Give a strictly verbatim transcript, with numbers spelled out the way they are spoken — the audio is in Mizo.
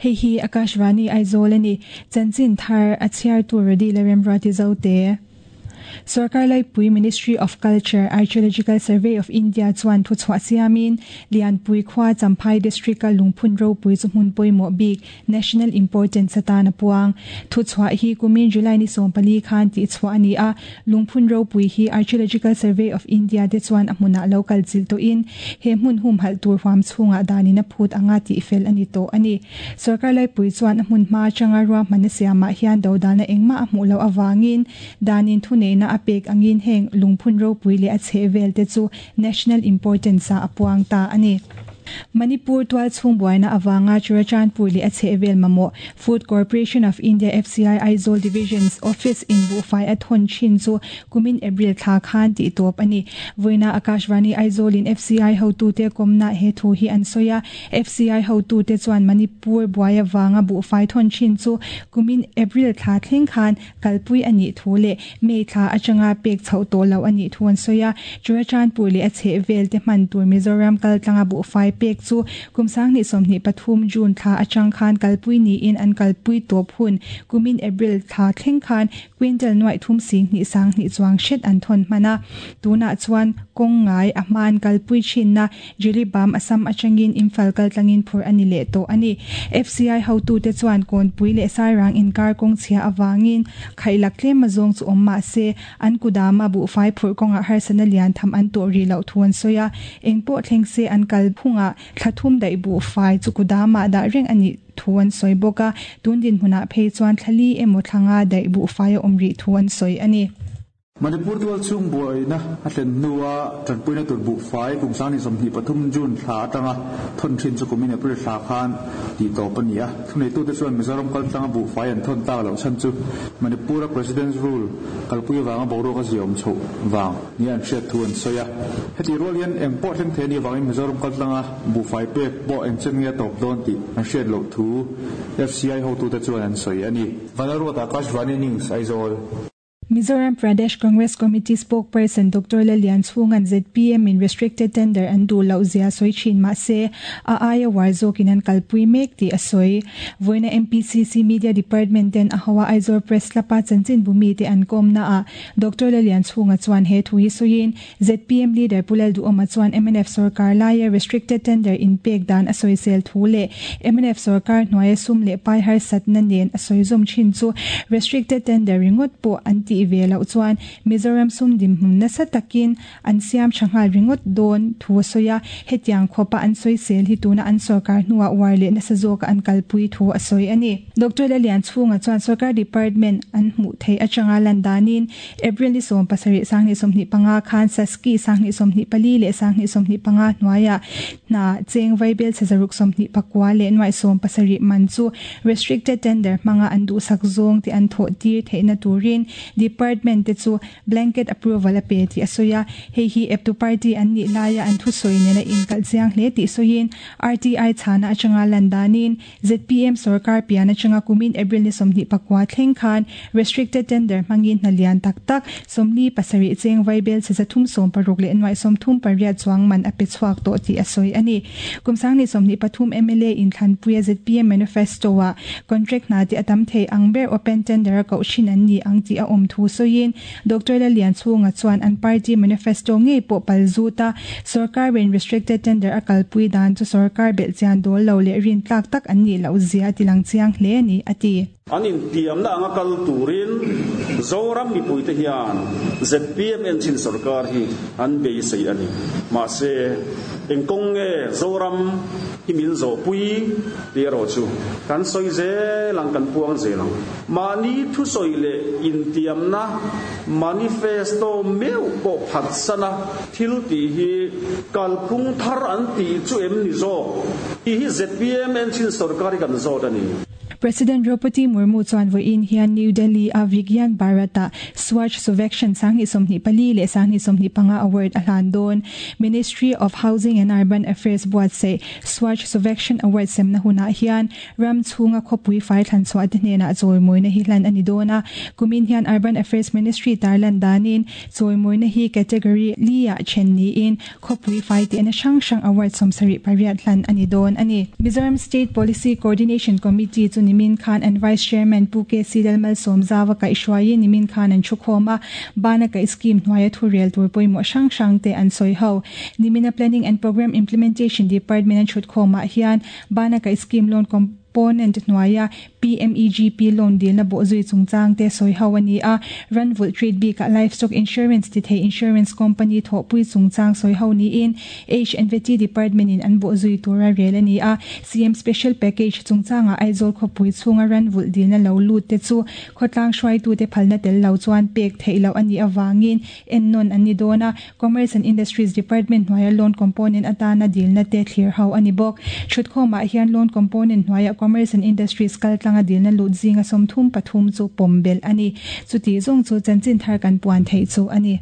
Hei hi Akashvani Aizawl ani chanchin thar a chhiar tur redi la remruati zote. Sarkar Laipui Ministry of Culture Archaeological Survey of India chuan thu chhuah siamin Lianpui khua Champhai District a lungphun ropui chu hmun pawimawh bik national importance atan a puang. Thu chhuah hi kumin July ni sawm pali khan tih chhuah ani a, lungphun ropui hi Archaeological Survey of India te chuan a hmunah lo kal chilh tawhin he hmun hum halh tur huam chhungah danin a phut anga tih fel ani tawh ani. Sarkar Laipui chuan a hmun hma atanga ruahman a siamah hian dodalna engmah a hmuh loh awangin danin thu neihna a pek angin heng lungphun ropui leh a chheh vel te chu national importance a apuang ta ani. Manipur tual chhung buaina awanga Churachandpur leh a chheh vel mamawh Food Corporation of India F C I Aizawl Division's office in buhfai a thawn thin chu kumin April thla khan tih tawp ani. Voina Akashvani Aizawl in F C I hotu te komna he thu hi an soya. F C I hotu te chuan Manipur buai awanga buhfai thawn thin chu kumin April thla thleng khan kalpui ani thu leh May thla atanga pek chho to lo ani thu an soya. Churachandpur leh a chheh vel te hman tur Mizoram kal tlanga buhfai pek chu kumsang ni somni pathum June thla atang khan kalpui ni in an kalpui top hun kumin April thla thleng khan quintal nuai thum sing ni sang ni chuang shet an thon mana. Tuna chuan kong ngai a man kalpui chin na Jiribam Assam atangin Imphal kal tlangin phur ani le to ani. F C I hotu te chuan kon pui le sairang inkar kong chhia awangin khailak tlem mazong chu omma se an kudama bu fai phur konga harsana lian tham an to ri lo thuan soya engpo thleng se an kal phunga thlathum dai bu fai chu kudama da reng ani thuan soi boka tundin huna phei chuan thlali emaw thlanga dai bu fai omri thuan soi ani. Manipur tual chung buaina a thlen nuwa tanpuina tur bu fai kumsang ni somhnih pathum June thla atanga thon thin chu kumin April thla khan ti tawp ani a. Thunei tu te chuan Mizoram kal tlanga bu fai an thon tak lo chan chu Manipur President's rule kalpui wanga boruak a ziawm chho wang ni an hriat thu an sawi a. Heti rual hian eng pawh thleng thei ani wangin Mizoram kal tlanga bu fai pek pawh eng chen nge tawp dawn tih an hriat loh thu F C I hotu te chuan an sawi ani. Vanlalruat Akashvani News Aizawl. Mizoram Pradesh Congress Committee spokesperson Doctor Lalian Chhungan Z P M in restricted tender an du lo zia soi chin ma se a aia warzo kinan kalpui mek ti asoi. Voina M P C C Media Department ten a hawa Aizawl Press lapa chanchin bumi te an kom na a Doctor Lalian Chhunga chuan he thui soin Z P M leader Pulal du oma chuan M N F sarkar laia restricted tender in pek dan asoi sel thu le M N F sarkar hnuaia sum le pai har satna nen asoi zum chin chu restricted tender ringot po anti ve lo chuan Mizoram sum dim hmun na sa takin an siam thangal ringot don thu soya hetiang khopa an soi sel hi tuna an sarkar hnuwa war le na sa zoka an kalpui thu asoi ani. Doctor Lalian Chhunga chuan sarkar department an hmu thei atanga landanin April ni som pasarih sangni somhnih panga khan saski sangni somhnih pali le sangni somhnih panga hnuaia na cheng vaibel chezaruk somhnih pakwa le nuai som pasarih man chu restricted tender hmanga an du sak zawng te an thaw tir theihna turin department te chu blanket approval a pe ti asoya. Hei hi eptu party an ni laia an thu soi nena in kal chiang hle ti soin R T I chhana atanga landanin Z P M sarkar pian atanga kumin April ni somhnih pakwa thleng khan restricted tender hmangin hnalian tak tak somli pasarih cheng vaibel chezathum som paruk le nuai somthum pariat chuang man a pe chhuak to ti asoi ani. Kumsang ni somhnih pathum M L A in thlanpuia Z P M manifesto a contract na ti atam thei angber open tender ko shin an ni ang ti a om thu soin Doctor Lalian Chhunga chuan an party manifesto ngei po palzuta sarkar in restricted tender a kalpui dan chu sarkar bel chian dol lo le rin tlak tak an ni lo zia tilang chiang hle ni ati. An in tiam na anga kal turin Zoram mi puite hian Z P M en chin sarkar hi an bei sei ani ma se engkong nge Zoram hi min zo pui ti ro chu kan soi ze lang kan puang ze lang mani thu soi le in tiam na manifesto meu po phat sana thil ti hi kalphung thar an ti chu em ni zo hi Z P M en chin sarkar kan zo ani. President Droupadi Murmu chuan vawiin hian New Delhi a Vigyan Bharat-ah Swachh Survekshan Sanghnih sawmhnih pali leh Sanghnih sawmhnih panga Award a hlan dawn. Ministry of Housing and Urban Affairs buatsaih Swachh Survekshan Award semna hunah hian ram chhunga khawpui fai thlan chhuah te hnenah chawimawina hi hlan a ni dawn a. Kumin hian Urban Affairs Ministry tarlan danin chawimawina hi category li-ah then niin khawpui fai tehna hrang hrang award sawmsarih pariat hlan a ni dawn a ni. Mizoram State Policy Coordination Committee chu nimin khan an Vice Chairman Pu K C Lalmalsawmzawa kaihhruaiin nimin khan an thu khawm a, bana kaih scheme hnuaia thu rel tur pawimawh hrang hrang te an sawi ho. Nimina Planning and Programme Implementation Department an thut khawmah hian bana kaih scheme loan component hnuaia P M E G P loan dilna bawhzui chungchang te sawi ho a ni a, Ranvulh Trade bikah Livestock Insurance ti thei Insurance Company thawhpui chungchang sawi ho niin H and V T Department in an bawhzui tura rel a ni a, C M Special Package chungchangah Aizawl khawpui chhunga Ranvulh dilna lo lut te chu khawtlang hruaitu te phalna tel lo chuan pek theih loh a nih awangin ennawn an ni dawn a, Commerce and Industries Department hnuaia loan component atana dilna te thlir ho a ni bawk. Thutkhawmah hian loan component hnuaia Commerce and Industries kaltlanga dilna lut zinga sawmthum pathum chu pawm belh a ni. Chuti zawng chu chanchin thar kan puan theih chu a ni.